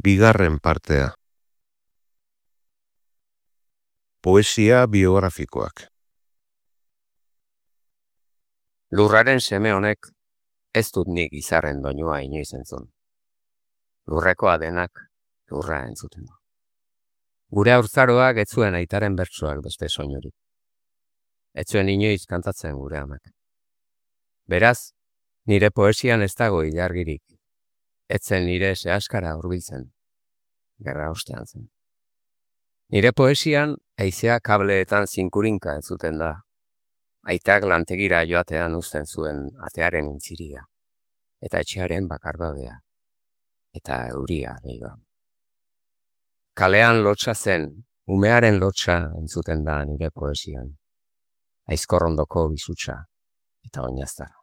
Bigarren partea. Poesia biografikoak. Lurraren seme honek ez dut nik izarren doinua inoiz entzun. Lurrekoa denak lurra entzuten du. Gure haurtzaroak ez zuen aitaren bertsoak beste soinurik. Ez zuen inoiz kantatzen gure amak. Beraz, nire poesian ez dago ilargirik. Ez zen nire sehaskara hurbiltzen. Gerra ostean zen. Nire poesian haizea kableetan zinkurinka entzuten da. Aitak lantegira joatean uzten zuen atearen intziria. Eta etxearen bakardadea. Eta euria leiba. Kalean lotsa zen, umearen lotsa entzuten da nire poesian. Aizkorrondoko bizutsa eta oinaztara.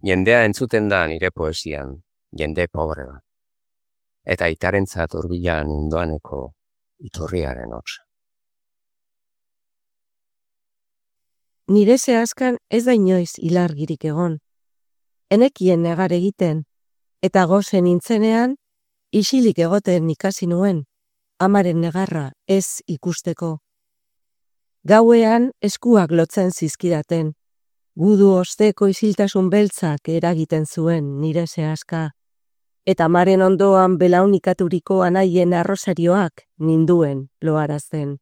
Jendea entzuten da nire poesian, jende pobre bat. Eta aitarentzat hurbilan indoaneko iturriaren hotsa. Nire zehazkan ez da inoiz ilargirik egon. Enekien negar egiten, eta gozen nintzenean, isilik egoten ikasi nuen, amaren negarra ez ikusteko. Gauean eskuak lotzen zizkidaten, gudu osteko isiltasun beltzak eragiten zuen nire zehazka, eta amaren ondoan belaunikaturik anaien arrosarioak ninduen loarazten.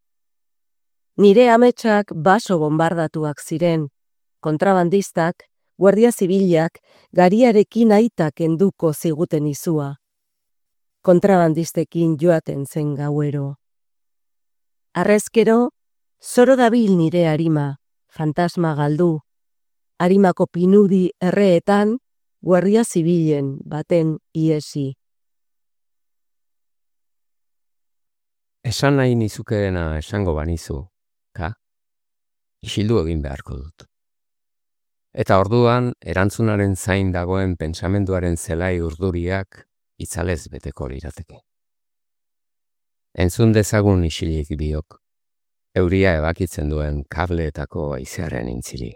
Nire ametsak baso bombardatuak ziren, kontrabandistak, guardia zibilak, gariarekin aitak enduko ziguten izua. Kontrabandistekin joaten zen gauero. Harrezkero, zoro dabil nire arima, fantasma galdu. Arimako pinudi erreetan, guardia zibilen baten iesi. Esan nahi nizukeena esango banizu, isildu egin beharko dut. Eta orduan, erantzunaren zain dagoen pentsamenduaren zelai urduriak itzalez beteko lirateke. Entzun dezagun isilik biok, euria ebakitzen duen kableetako haizearen intziri.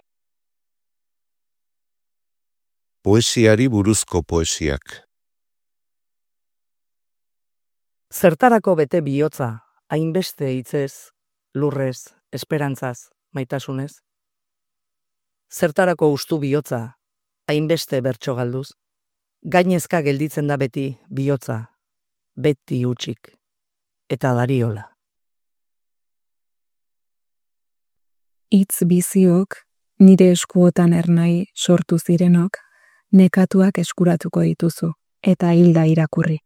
Poesiari buruzko poesiak. Zertarako bete bihotza, hainbeste hitzez, lurrez, esperantzaz, maitasunez? Zertarako ustu bihotza, hainbeste bertso galduz? Gainezka gelditzen da beti bihotza, beti hutsik, eta dariola. Hitz biziok, nire eskuotan ernai sortu zirenok, nekatuak eskuratuko dituzu, eta hilda irakurri.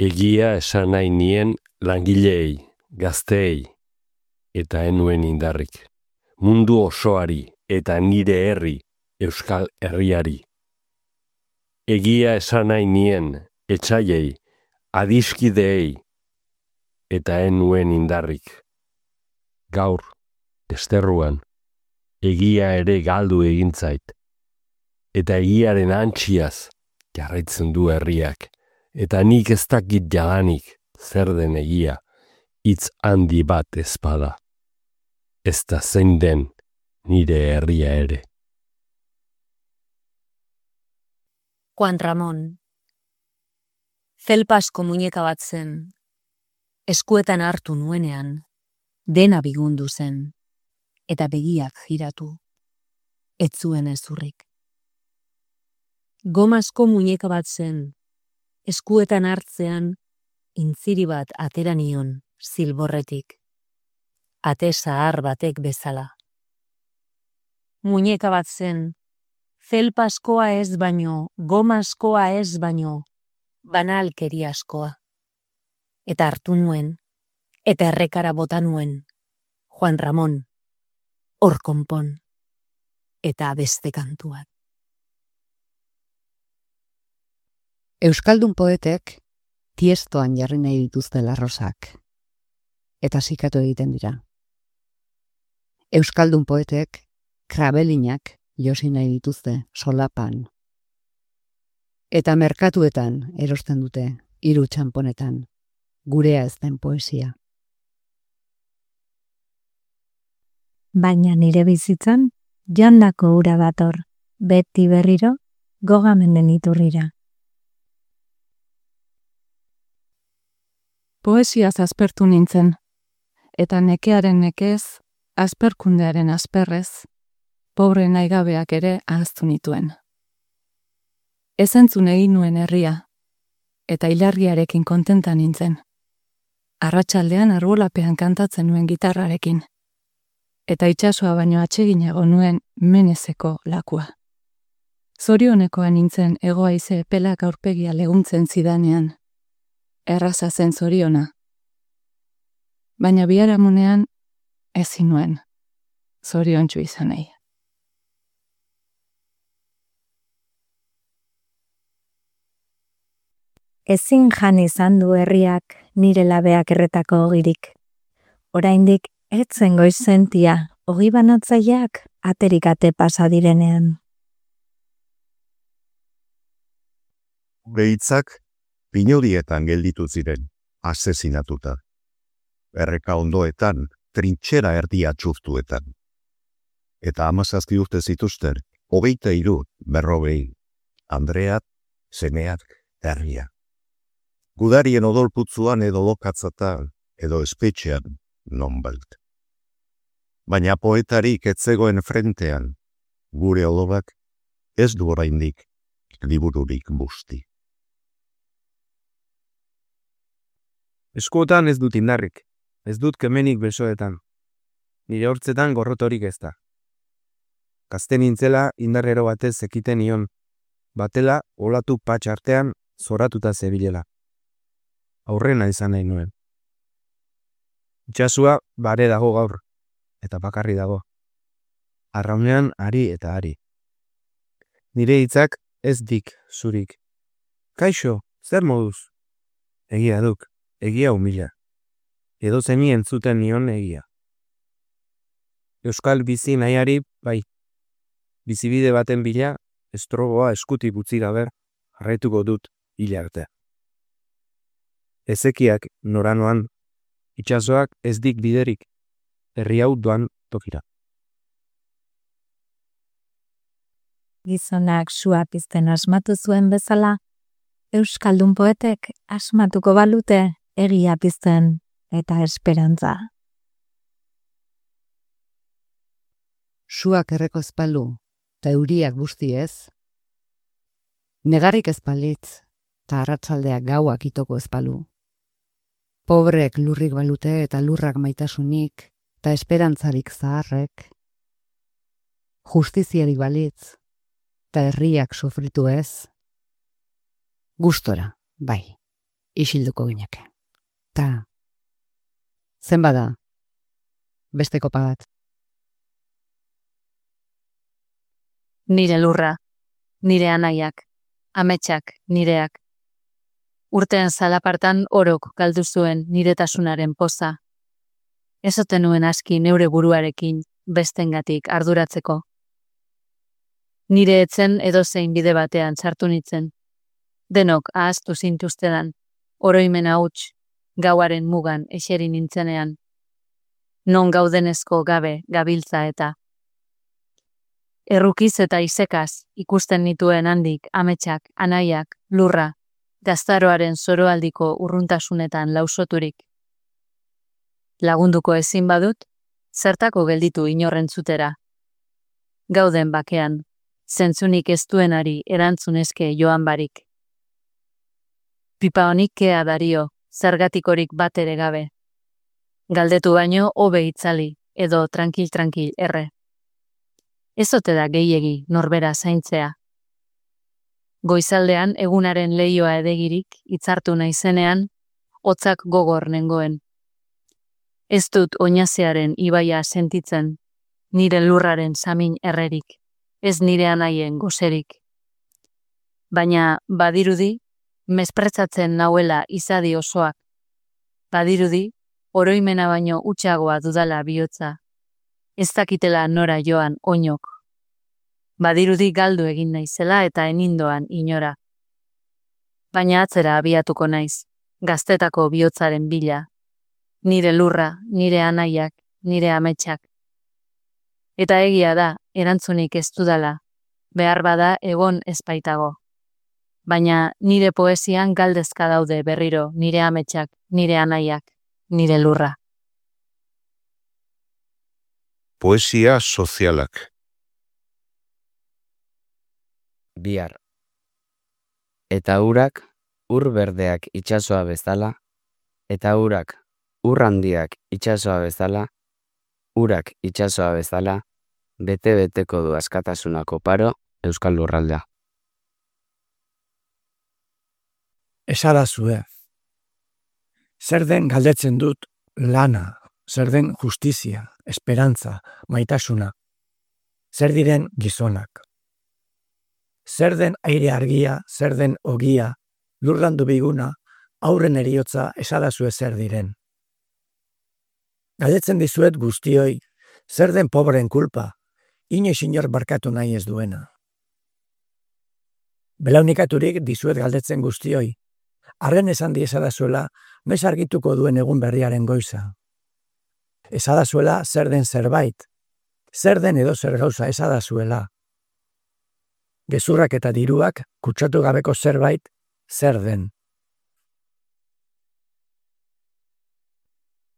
Egia esan nahi nien langileei, gazteei, eta enuen indarrik. Mundu osoari eta nire herri, Euskal Herriari. Egia esan nahi nien etsaiei, adiskideei, eta enuen indarrik. Gaur, desterruan, egia ere galdu egintzait, eta egiaren antxiaz jarraitzen du herriak, eta nik ez dakit jadanik zer den egia, hitz handi bat ezpada. Ez da zein den nire herria ere. Juan Ramón. Felpasko muñeka bat zen, eskuetan hartu nuenean, dena bigundu zen, eta begiak jiratu, ez zuen ezurrik. Gomazko muñeka bat zen, eskuetan hartzean, intziri bat atera nion zilborretik, ate zahar batek bezala. Muñeka bat zen, felpaskoa ez baino, gomazkoa ez baino, banalkeriaskoa. Eta hartu nuen, eta errekara bota nuen, Juan Ramón, hor konpon, eta beste kantuak. Euskaldun poetek tiestoan jarri nahi dituzte larrosak, eta zikatu egiten dira. Euskaldun poetek krabelinak josi nahi dituzte solapan. Eta merkatuetan erosten dute, 3 txanponetan, gurea ez den poesia. Baina nire bizitzan, jandako ura dator, beti berriro, gogamenden iturrira. Poesiaz aspertu nintzen, eta nekearen nekez, asperkundearen asperrez, pobre naigabeak ere ahaztu nituen. Ez entzun egin nuen herria, eta hilarriarekin kontenta nintzen. Arratsaldean arbolapean kantatzen nuen gitarrarekin, eta itsasoa baino atseginago nuen menezeko lakua. Zorionekoa nintzen hego-haize epelak aurpegia leguntzen zidanean. Erraza zen zoriona. Baina biharamunean ezin nuen zoriontsu izan nahi. Ezin jan izan du herriak nire labeak erretako ogirik. Oraindik etzen goizentia ogi banatzaileak aterikate pasa direnean. Behitzak pinodietan gelditu ziren, asesinatuta. Erreka ondoetan, trintxera erdia txurtuetan. Eta 17 urte zituzten, 23, 40, Andreat, semeak, herria. Gudarien odolputzuan edo lokatzatan, edo espetxean, nonbait. Baina poetarik etzegoen frentean, gure odolak ez du oraindik libururik busti. Eskuotan ez dut indarrik, ez dut kemenik besoetan. Nire hortzetan gorrotorik ez da. Gazte nintzela indarrero batez ekiten nion, batela olatu patx artean zoratuta zebilela. Aurrena izan nahi nuen. Itxasua bare dago gaur, eta bakarri dago. Arraunean ari eta ari. Nire hitzak ez dik zurik. Kaixo, zer moduz? Egia duk. Egia humila. Edo zeni entzuten nion egia. Euskal bizi nahiari, bai. Bizibide baten bila, estrogoa eskutik utzi gabe, jarraituko dut hila arte. Ezekiak noranoan, itsasoak ez dik biderik, herri hau doan tokira. Gizonak sua pizten asmatu zuen bezala, euskaldun poetek asmatuko balute egia pizten eta esperantza. Suak erreko ezpalu, eta euriak busti ez. Negarrik ezpalitz, eta arratsaldeak gauak itoko ezpalu. Pobrek lurrik balute eta lurrak maitasunik, eta esperantzarik zaharrek. Justiziarik balitz, eta herriak sufritu ez. Gustora, bai, isilduko gineke. Ta, zenbada, beste kopa bat. Nire lurra, nire anaiak, ametsak nireak. Urteen zalapartan orok galdu zuen niretasunaren poza. Ez ote nuen aski neure buruarekin bestengatik arduratzeko. Nire etzen edozein bide batean sartu nitzen. Denok ahaztu zintuztedan, oroimena huts, gauaren mugan eseri nintzenean. Non gaudenezko gabe gabiltza eta. Errukiz eta isekaz ikusten nituen handik ametsak, anaiak, lurra, gaztaroaren zoroaldiko urruntasunetan lausoturik. Lagunduko ezin badut, zertako gelditu inorrentzutera. Gauden bakean, zentzunik ez duenari erantzunezke joan barik. Pipa honik kea dario, zergatikorik bat ere gabe. Galdetu baino hobe itzali, edo tranquil erre. Ez ote da gehiegi norbera zaintzea. Goizaldean egunaren leioa edegirik hitzartu naizenean, hotzak gogor nengoen. Ez dut oinazearen ibaia sentitzen, nire lurraren samin errerik, ez nire anaien goserik. Baina badirudi, mespretzatzen nauela izadi osoak. Badirudi, oroimena baino utxagoa dudala bihotza. Ez dakitela nora joan oinok. Badirudi galdu egin naizela eta enindoan inora. Baina atzera abiatuko naiz, gaztetako bihotzaren bila. Nire lurra, nire anaiak, nire ametsak. Eta egia da, erantzunik ez dudala, behar bada egon ezpaitago. Baina nire poesian galdezka daude berriro nire ametsak, nire anaiak, nire lurra. Poesia sozialak. Bihar. Eta urak ur berdeak itsasoa bezala, eta urak ur handiak itsasoa bezala, urak itsasoa bezala, bete-beteko du askatasunako paro Euskal Lurraldea. Esadazue. Zer den galdetzen dut lana, zer den justizia, esperantza, maitasuna, zer diren gizonak. Zer den aire argia, zer den ogia, lurrandu biguna, aurren eriotza esadazue zer diren. Galdetzen dizuet guztioi, zer den pobreen kulpa, inoiz inor barkatu nahi ez duena. Belaunikaturik dizuet galdetzen guztioi, arren esan di esadazuela, noiz argituko duen egun berriaren goiza. Esadazuela zer den zerbait, zer den edo zer gauza esadazuela. Gezurrak eta diruak kutsatu gabeko zerbait zer den.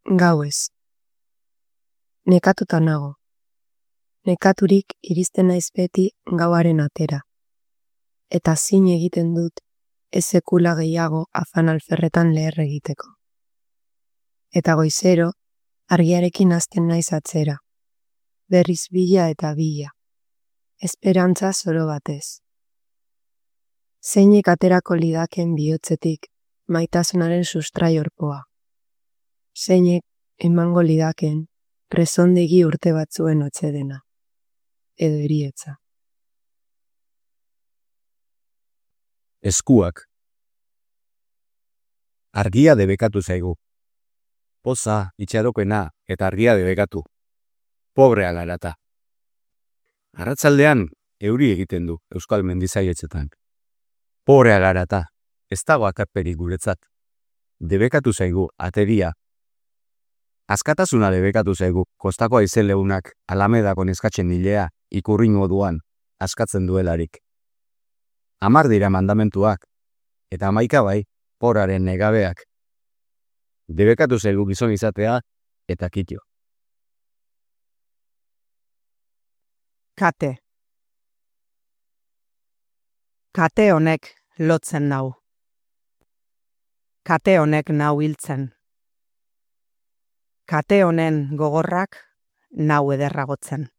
Gauez. Nekatuta nago. Nekaturik iristen naiz beti gauaren atera. Eta zin egiten dut ez sekula gehiago afan alferretan leher egiteko. Eta goizero, argiarekin hasten naiz atzera. Berriz bila eta bila. Esperantza zoro batez. Zeinek aterako lidaken bihotzetik maitasunaren sustraiorpoa. Zeinek emango lidaken presondegi urte batzuen otsedena. Edo erietza. Eskuak. Argia debekatu zaigu. Poza, itxarokena eta argia debekatu. Pobre alarata. Arratzaldean euri egiten du Euskal Mendizaietzetan. Pobre alarata, ez dago akarperik guretzat. Debekatu zaigu ateria. Askatasuna debekatu zaigu kostako aizeleunak Alamedako neskatzen hilea ikurri moduan askatzen duelarik. 10 dira mandamentuak, eta 11 bai, poraren negabeak. Debekatu zaigu gizon izatea eta kitio. Kate. Kate honek lotzen nau. Kate honek nau hiltzen. Kate honen gogorrak nau ederragotzen.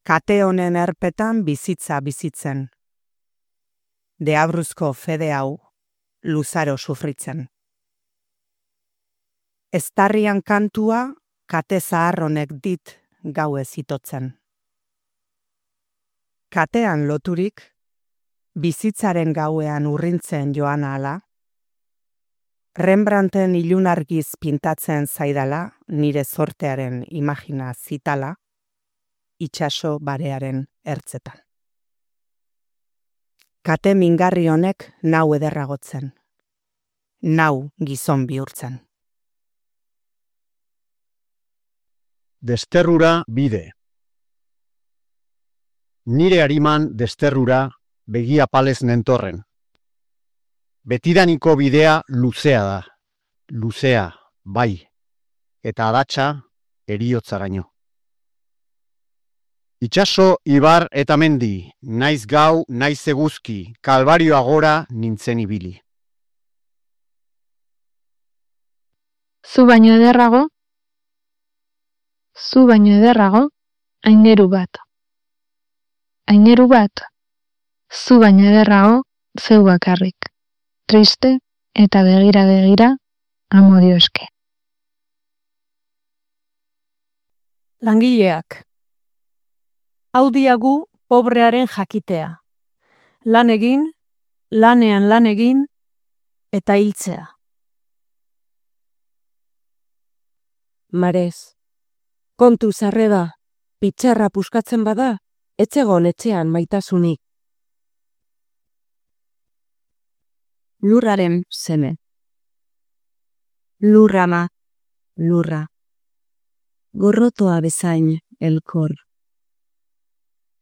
Kate honen erpetan bizitza bizitzen. Deabruzko fede hau luzaro sufritzen. Eztarrian kantua kate zahar honek dit gauez itotzen. Katean loturik, bizitzaren gauean urrintzen joan ahala, Rembrandten ilunargiz pintatzen zaidala, nire zortearen imagina zitala, itsaso barearen ertzetan. Kate mingarri honek nau ederragotzen, nau gizon bihurtzen. Desterrura bide. Nire ariman desterrura begia palez nentorren. Betidaniko bidea luzea da. Luzea, bai. Eta adatsa eriotzaraino. Itsaso, ibar eta mendi, naiz gau, naiz eguzki, kalbarioa gora nintzen ibili. Zu baino ederrago, aineru bat. Aineru bat, zu baino ederrago, zeu bakarrik. Triste eta begira, amodio eske. Langileak. Hau diagu pobrearen jakitea. Lan egin, lanean lan egin, eta hiltzea. Marez. Kontu zarreda, pitxerra puskatzen bada, etzegon etxean maitasunik. Lurraren seme. Lurrama, lurra. Gorrotoa bezain elkor.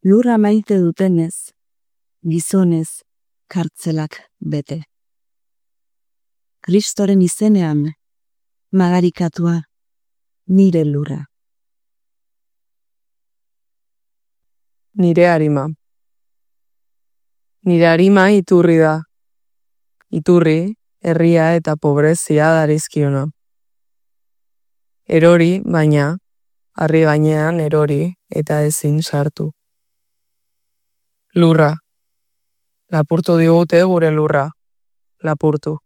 Lurra maite dutenez, gizonez, kartzelak bete. Kristoren izenean, magarikatua, nire lurra. Nire arima. Nire arima iturri da. Iturri, herria eta pobrezia darizkiona. Erori, baina, harri gainean erori eta ezin sartu. Lurra. Lapurtu digute gure lurra. Lapurtu.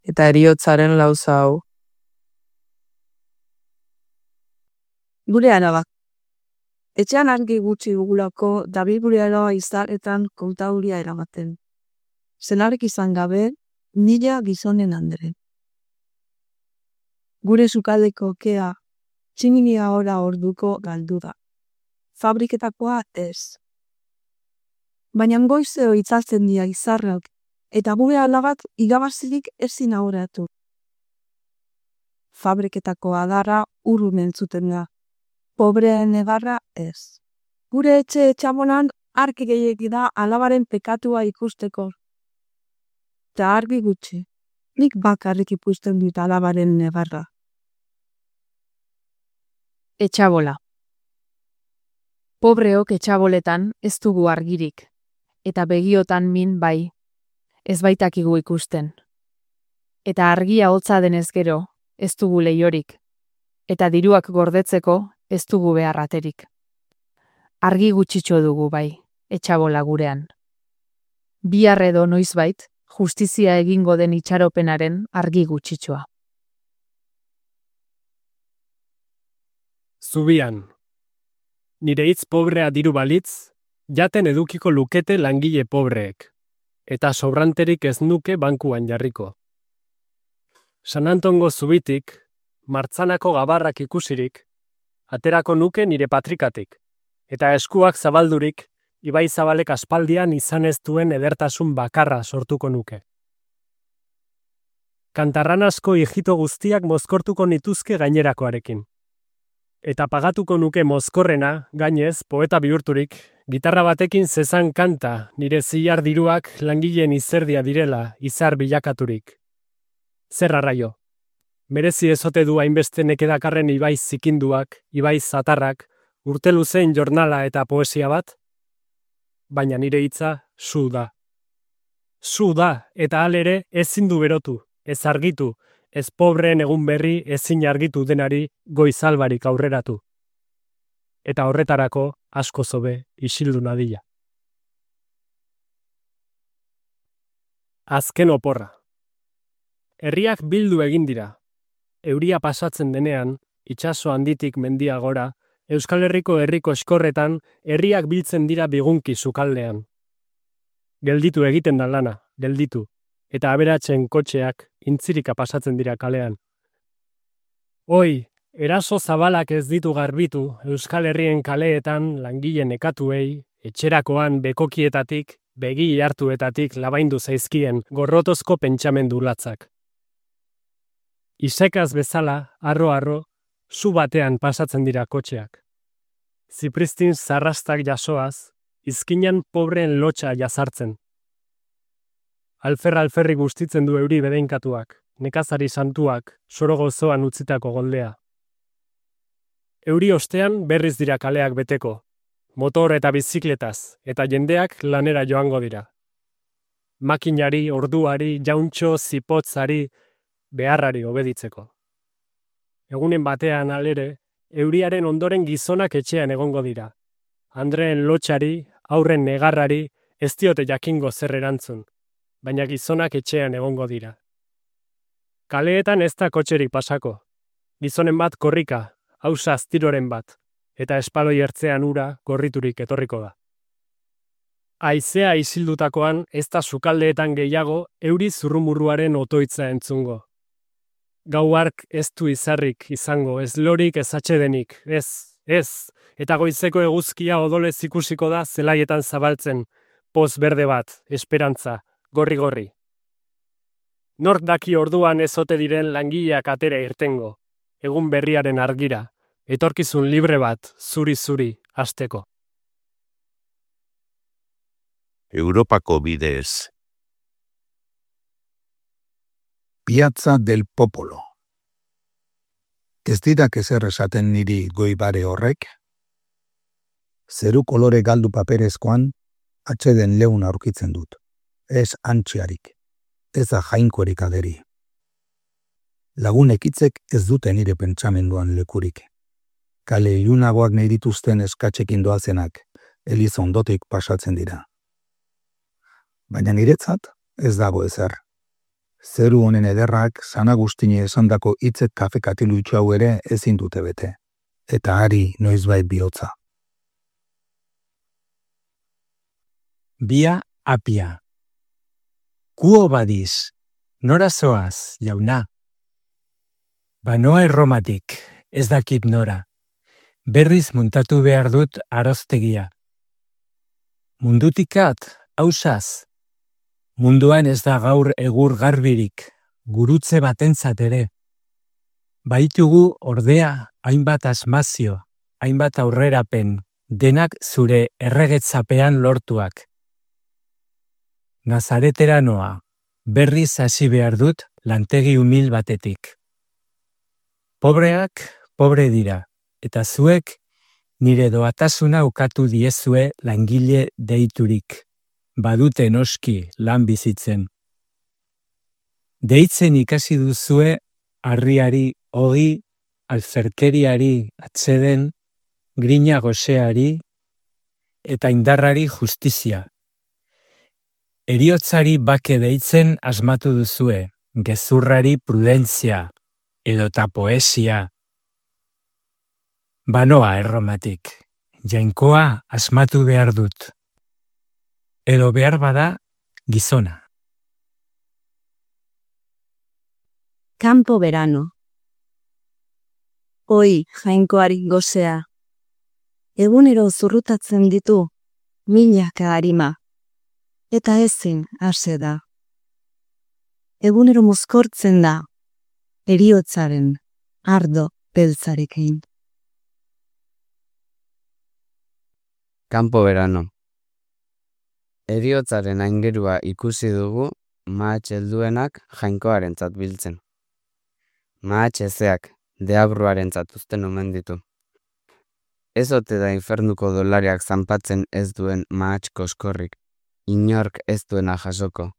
Eta heriotzaren lauza hau. Gure araba. Etxean argi gutxi dugulako dabil gure araba izaretan kontauria eramaten. Zenarek izan gabe, nila gizonen andre. Gure sukaldeko kea, tximinia ora orduko galdu da. Fabriketakoa ez. Baina goizeo itzaltzen dira izarrak, eta gure alabak igabazirik ezin ahoratu. Fabriketako adarra urrun entzuten da. Pobreen egarra ez. Gure etxamonan argi gehiegi da alabaren pekatua ikusteko. Eta argi gutxi, nik bakarrik ikusten dut alabaren negarra. Etxabola. Pobreok etxaboletan ez dugu argirik, eta begiotan min bai, ez baitakigu ikusten. Eta argia hotza denez gero, ez dugu leiorik, eta diruak gordetzeko ez dugu beharraterik. Argi gutxitxo dugu bai, etxabola gurean. Bihar edo noizbait, justizia egingo den itxaropenaren argi gutxitxoa. Zubian. Nire hitz pobrea diru balitz, jaten edukiko lukete langile pobreek, eta sobranterik ez nuke bankuan jarriko. San Antongo zubitik, martzanako gabarrak ikusirik, aterako nuke nire patrikatik, eta eskuak zabaldurik, Ibai Zabalek aspaldian izan ez duen edertasun bakarra sortuko nuke. Kantarranazko hijito guztiak mozkortuko nituzke gainerakoarekin. Eta pagatuko nuke mozkorrena, gainez, poeta bihurturik, gitarra batekin zezan kanta nire zilar diruak langileen izerdia direla izar bilakaturik. Zer arraio? Merezi ezote du hainbeste nekedakarren Ibai zikinduak, Ibai zatarrak, urte luzein jornala eta poesia bat? Baina nire hitza zu da. Zu da, eta halere ezin du berotu, ez argitu, ez pobreen egun berri ezin argitu denari goizalbarik aurreratu. Eta horretarako asko zobe isildu nadila. Azken oporra. Herriak bildu egin dira. Euria pasatzen denean, itsaso handitik mendia gora, Euskal Herriko herriko eskorretan herriak biltzen dira bigunki sukaldean. Gelditu egiten da lana, gelditu, eta aberatzen kotxeak intzirika pasatzen dira kalean. Oi, eraso zabalak ez ditu garbitu Euskal Herrien kaleetan langile nekatuei, etxerakoan bekokietatik, begi hartuetatik labaindu zaizkien gorrotozko pentsamendu latzak. Isekaz bezala, arro-arro, zu batean pasatzen dira kotxeak. Zipristin zarrastak jasoaz, izkinan pobreen lotxa jazartzen. Alferri gustitzen du euri bedeinkatuak, nekazari santuak, soro gozoan utzitako goldea. Euri ostean berriz dira kaleak beteko, motor eta bizikletaz, eta jendeak lanera joango dira. Makinari, orduari, jauntxo, zipotzari, beharrari obeditzeko. Egunen batean alere, euriaren ondoren gizonak etxean egongo dira. Andreen lotxari, aurren negarrari, ez diote jakingo zer erantzun, baina gizonak etxean egongo dira. Kaleetan ez da kotxerik pasako. Gizonen bat korrika, hausa aztiroren bat, eta espaloi ertzean ura gorriturik etorriko da. Haizea isildutakoan ez da sukaldeetan gehiago euri zurrumurruaren otoitza entzungo. Gau hark ez du izarrik izango, ez lorik ez atsedenik, ez, eta goizeko eguzkia odolez ikusiko da zelaietan zabaltzen, poz berde bat, esperantza, gorri-gorri. Nork daki orduan ez ote diren langileak atera irtengo, egun berriaren argira, etorkizun libre bat, zuri-zuri, hasteko. Europako bidez. Piazza del Popolo. Ez didak ezer esaten niri goibare horrek? Zeru kolore galdu paperezkoan, atxeden leun aurkitzen dut. Ez antxiarik, ez da jainkorik aderi. Lagunek hitzek ez dute nire pentsamenduan lekurik. Kale ilunagoak nahi dituzten eskatzekin doazenak, eliz ondotik pasatzen dira. Baina niretzat ez dago ezer. Zeru honen ederrak San Agustine esandako hitzek kafe katilutxo hau ere ezin dute bete. Eta hari noizbait bihotza. Bia apia. Kuo badiz, nora zoaz, jauna. Banoa Erromatik, ez dakit nora. Berriz muntatu behar dut aroztegia. Mundutikat, hausaz. Munduan ez da gaur egur garbirik, gurutze batentzat ere. Baitugu ordea hainbat asmazio, hainbat aurrerapen, denak zure erregetzapean lortuak. Nazaretera noa, berriz hasi behar dut lantegi umil batetik. Pobreak, pobre dira, eta zuek nire doatasuna ukatu diezue langile deiturik. Badute noski lan bizitzen. Deitzen ikasi duzue harriari, ogi, alferkeriari atseden, grina goseari eta indarrari justizia. Heriotzari bake deitzen asmatu duzue, gezurrari prudentzia edota poesia. Banoa Erromatik, jainkoa asmatu behar dut. Edo behar bada gizona. Campo verano. Oi, jainkoari gozea. Egunero zurrutatzen ditu, milaka harima. Eta ezin hase da. Egunero mozkortzen da, heriotzaren ardo beltzarekin. Campo verano. Heriotzaren aingerua ikusi dugu mahatx helduenak jainkoarentzat biltzen. Mahatx ezeak deabruarentzat uzten omen ditu. Ez ote da infernuko dolariak zanpatzen ez duen mahatx koskorrik, inork ez duena jasoko.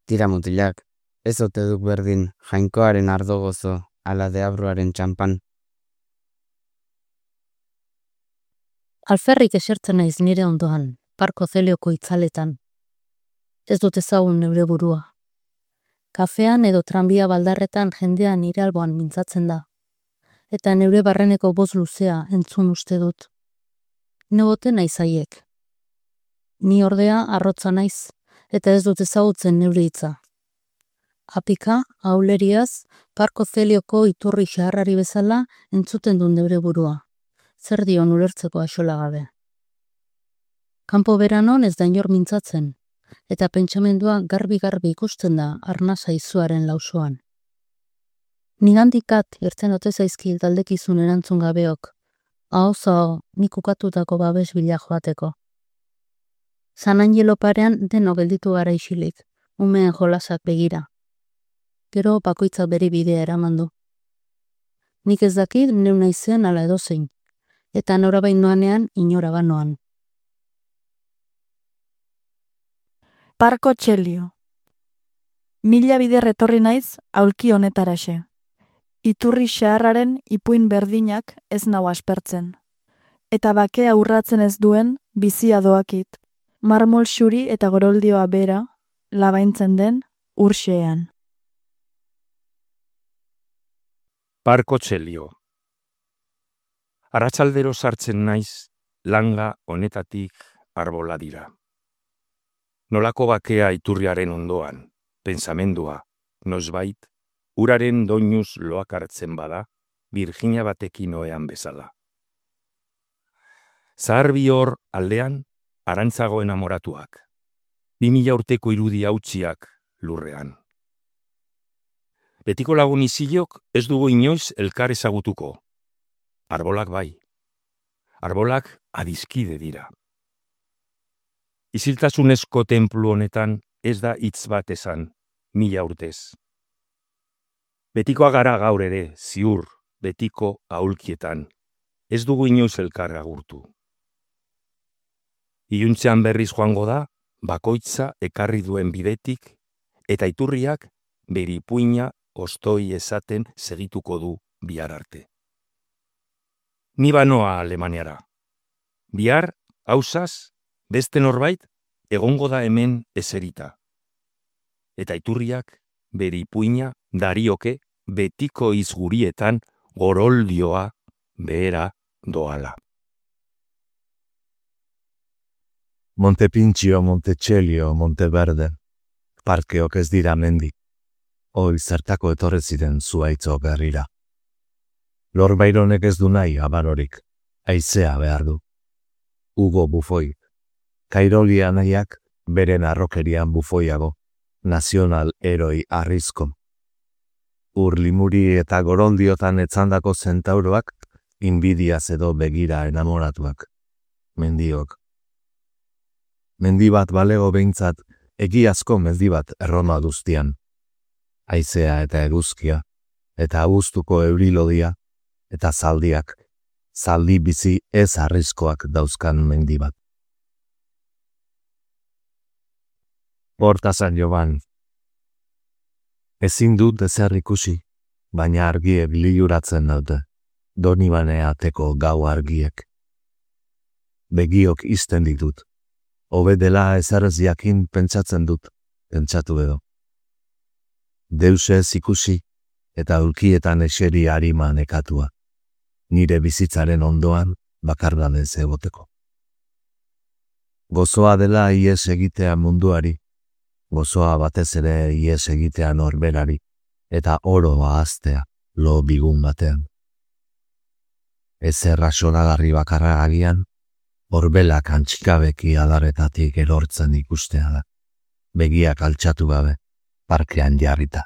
Tira mutilak, ez ote duk berdin jainkoaren ardo gozo ala deabruaren txampan. Alferrik esertzen naiz nire ondoan, Parko Zelioko itzaletan. Ez dut ezagun neure burua. Kafean edo tranbia baldarretan jendea nire alboan mintzatzen da. Eta neure barreneko boz luzea entzun uste dut. Nebote naiz haiek. Ni ordea arrotza naiz, eta ez dut ezagutzen neure hitza. Apika, auleriaz, Parko Zelioko iturri xaharrari bezala entzuten dut neure burua. Zer dion ulertzeko axola gabe. Campo veranon ez da inor mintzatzen, eta pentsamendua garbi-garbi ikusten da arnasa izuaren lausoan. Nigandikat irten ote zaizki taldekizun erantzun gabeok, aho nik ukatutako babes bila joateko. San Angelo parean deno gelditu gara isilik, umeen jolasak begira. Gero bakoitzak bere bidea eramandu. Nik ez dakit neu naizen ala edozein, eta norabain noanean inora banoan. Parko Txelio. Mila bider etorri naiz aulki honetaraxe. Iturri xaharraren ipuin berdinak ez nau aspertzen. Eta bakea urratzen ez duen bizia doakit. Marmol xuri eta goroldioa bera, labaintzen den urxean. Parko Txelio. Arratsaldero sartzen naiz, langa honetatik arbola dira. Nolako bakea iturriaren ondoan, pentsamendua, nosbait, uraren doinuz loak hartzen bada, Virginia batekin oean bezala. Zahar bihor aldean, arantzago enamoratuak. 2000 urteko irudi hautsiak lurrean. Betiko lagun izilok ez dugu inoiz elkar ezagutuko. Arbolak bai. Arbolak adizkide dira. Isiltasunezko tenplu honetan ez da hitz bat esan, 1000 urtez. Betikoa gara gaur ere, ziur, betiko aulkietan. Ez dugu inoiz elkar agurtu. Iluntzean berriz joango da, bakoitza ekarri duen bidetik, eta iturriak bere ipuina ostoi esaten segituko du bihar arte. Ni banoa Alemaniara. Bihar, hausaz, beste norbait, egongo da hemen eserita. Eta iturriak bere ipuina darioke betiko izgurietan goroldioa behera doala. Montepintxio, Montecelio, Monteverde, parkeok ez dira mendi. Hoi zertako etorre ziren zuaitzo berrira. Lor Byronek ez du nahi abarorik, haizea behar du. Hugo Bufoi, Kairolia nahiak beren arrokerian bufoiago, nazional heroi arrizko. Ur limuri eta goroldiotan etzandako zentauroak, inbidiaz edo begira enamoratuak. Mendiok. Mendi bat balego behintzat, egiazko mendi bat erroma duztian. Haizea eta eguzkia, eta abuztuko eurilodia, eta zaldiak, zaldi bizi ez arrizkoak dauzkan mendi bat. Horta San Joban. Ezin dut ezer ikusi, baina argiek liluratzen dute, Donibane ateko gau argiek. Begiok izten ditut, hobe dela ezerrez jakin pentsatzen dut, pentsatu edo. Deusez ikusi eta ulkietan eseri harima nekatua, nire bizitzaren ondoan bakardanez egoteko. Gozoa dela ies egitea munduari, gozoa batez ere ies egitea norberari, eta oro ahaztea lo bigun batean. Ezer rasonagarri bakarra agian, horbelak antxikabeki adarretatik erortzen ikustea da, begiak altxatu gabe, parkean jarrita.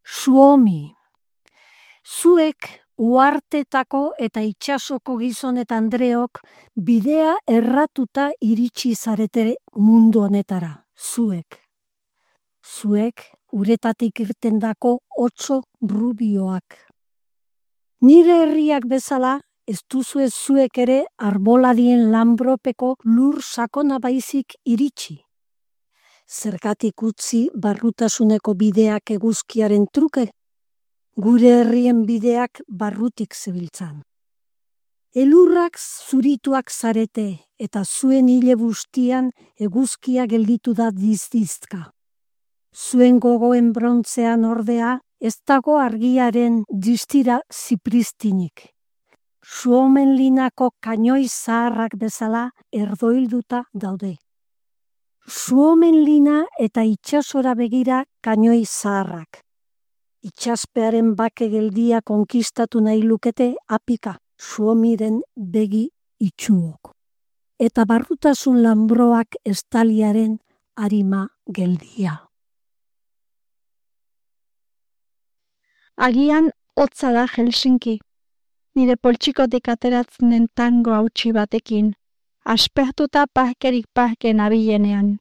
Suomi. Zuek uhartetako eta itsasoko gizon eta andreok bidea erratuta iritsi zarete mundu honetara, zuek. Zuek uretatik irtendako otso rubioak. Nire herriak bezala, ez duzue zuek ere arboladien lanbropeko lur sakona baizik iritsi. Zergatik utzi barrutasuneko bideak eguzkiaren truke, gure herrien bideak barrutik zebiltzan. Elurrak zurituak zarete eta zuen hile bustian eguzkia gelditu da dizdizka. Zuen gogoen brontzean ordea ez dago argiaren distira zipristinik. Suomenlinako kainoi zaharrak bezala erdoilduta daude. Suomenlina eta itsasora begira kainoi zaharrak. Itsaspearen bake geldia konkistatu nahi lukete apika Suomiren begi itxuok. Eta barrutasun lanbroak estaliaren arima geldia. Agian hotza da Helsinki, nire poltsikotik ateratzen den tango hautsi batekin, aspertuta parkerik parke nabilenean.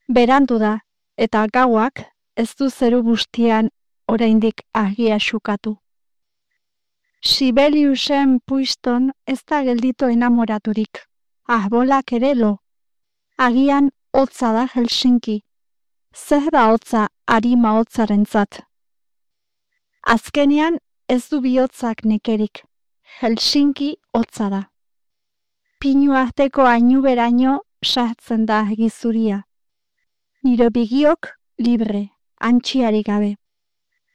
Berandu da, eta gauak ez du zeru bustian oraindik argia xukatu. Sibeliusen puiston ez da gelditu enamoraturik, arbolak ere lo. Agian hotza da Helsinki, zer da hotza arima hotzarentzat. Azkenean ez du bihotzak nekerik, Helsinki hotza da. Pinu arteko ainuberaino sartzen da gizuria. Nire bigiok libre, antxiari gabe.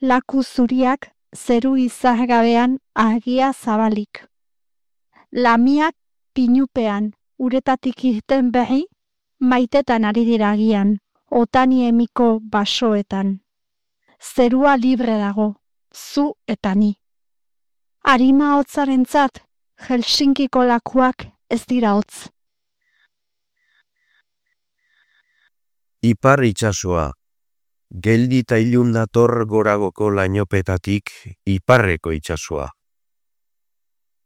Laku zuriak zeru izargabean argia zabalik. Lamiak pinupean uretatik irten berri, maitetan ari dira agian, otani emiko basoetan. Zerua libre dago. Zu eta ni. Arima hotzarentzat, Helsinkiko lakuak ez dira hotz. Ipar itsasoa, geldi eta ilun dator goragoko lainopetatik iparreko itsasoa.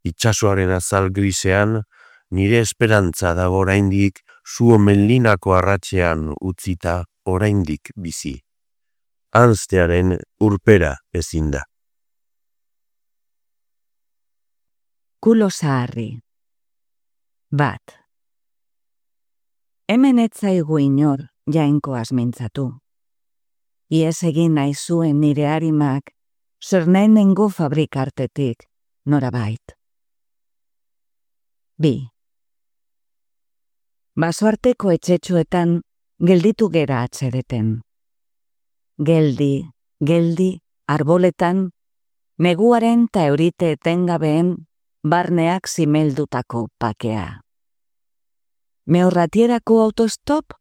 Itsasoaren azal grisean, nire esperantza dago oraindik zu omenlinako arratsean utzita oraindik bizi. Anztearen urpera ezin da. Kulo zaharri. Bat. Hemen ez zaigu inor jainkoaz mintzatu. Iez egin nahi zuen nire harimak, zer nahi nengo fabrikartetik, norabait. 2. Basoarteko etxetxoetan gelditu gera atzereten. Geldi, arboletan, neguaren ta eurite etengabeen barneak zimeldutako pakea. Mehorratierako autostop?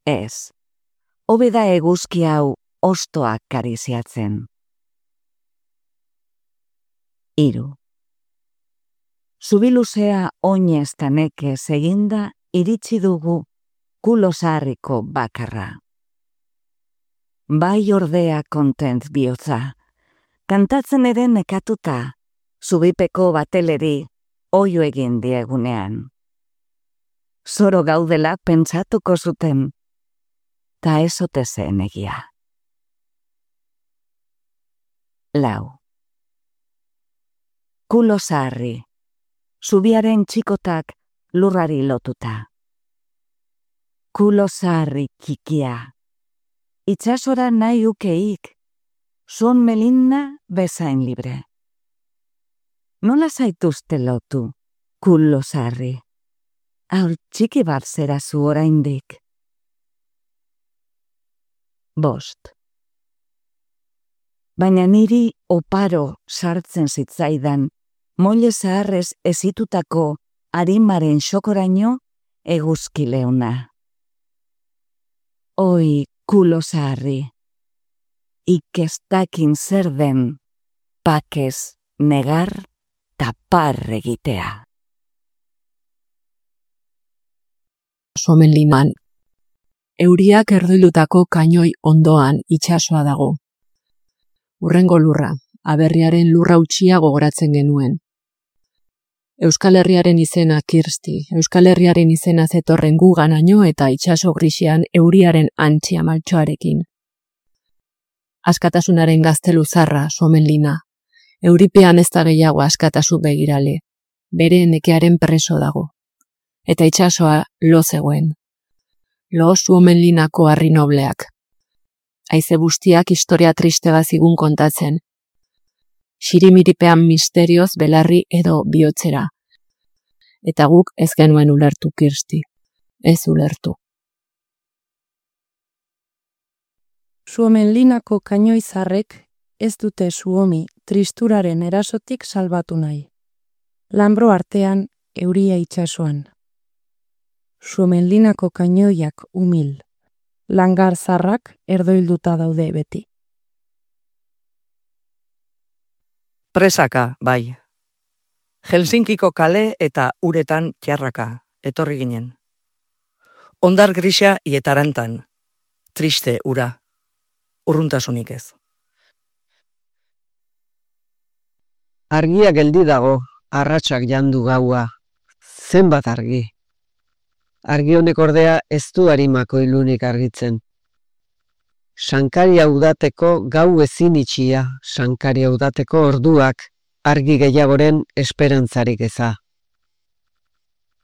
Ez. Hobeda eguzki hau ostoak kariziatzen. 3. Zubiluzea oinez ta nekez eginda iritsi dugu kulo zaharriko bakarra. Bai ordea kontent bihotza, kantatzen ere nekatuta, zubipeko bateleri oio egin diegunean. Zoro gaudela pentsatuko zuten, ta ez ote zen egia. 4. Kulo zaharri, zubiaren txikotak lurrari lotuta. Kulo zaharri txikia, itsasora nahi ukeik, zon melinna bezain libre. Nola zaituzte lotu, kulo zaharri? Aur txiki bat zera zu oraindik. 5. Baina niri oparo sartzen zitzaidan, moile zaharrez ezitutako arimaren xokoraino eguzki leuna. Oi, kulo zaharri, ikestakin zer den, pakez negar tapar egitea. Somenlinan. Euriak erdoilutako kainoi ondoan itsasoa dago. Urrengo lurra, aberriaren lurra utxia gogoratzen genuen. Euskal Herriaren izena Kirsti, Euskal Herriaren izena zetorren guganaino eta itsaso grisian euriaren antxia maltxoarekin. Askatasunaren gaztelu zarra, Somenlina. Euripean ez da gehiago askatasu begirale, bere nekearen preso dago. Eta itsasoa lo zegoen. Lo Somenlinako harri nobleak. Haize bustiak historia triste bazigun kontatzen. Xirimiripean misterioz belarri edo bihotzera. Eta guk ez genuen ulertu Kirsti. Ez ulertu. Somenlinako kainoizarrek ez dute Suomi tristuraren erasotik salbatu nahi. Lanbro artean euria itsasoan. Somenlinako kainoiak umil. Langar zarrak erdoilduta daude beti. Presaka, bai. Helsinkiko kale eta uretan txarraka, etorri ginen. Ondar grisa ietarantan. Triste ura. Urruntasunik ez. Argia geldi dago, arratsak jandu gaua. Zenbat argi. Argi honek ordea ez du harimako ilunik argitzen. Sankaria udateko gau ezin itxia, sankaria udateko orduak, argi gehiagoren esperantzarik eza.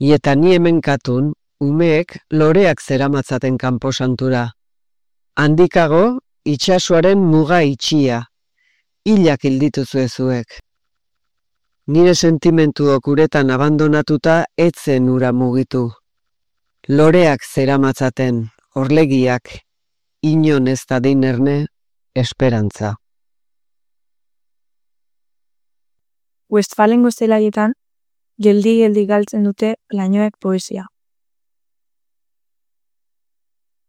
Ieta ni hemen katun, umeek loreak zeramatzaten kanposantura. Handikago, itsasoaren muga itxia, hilak hildituzu ezuek. Nire sentimentuok uretan abandonatuta etzen ura mugitu. Loreak zeramatzaten, orlegiak, inon ez da dinerne, esperantza. Westfalengo zelaietan, geldi galtzen dute lainoek poesia.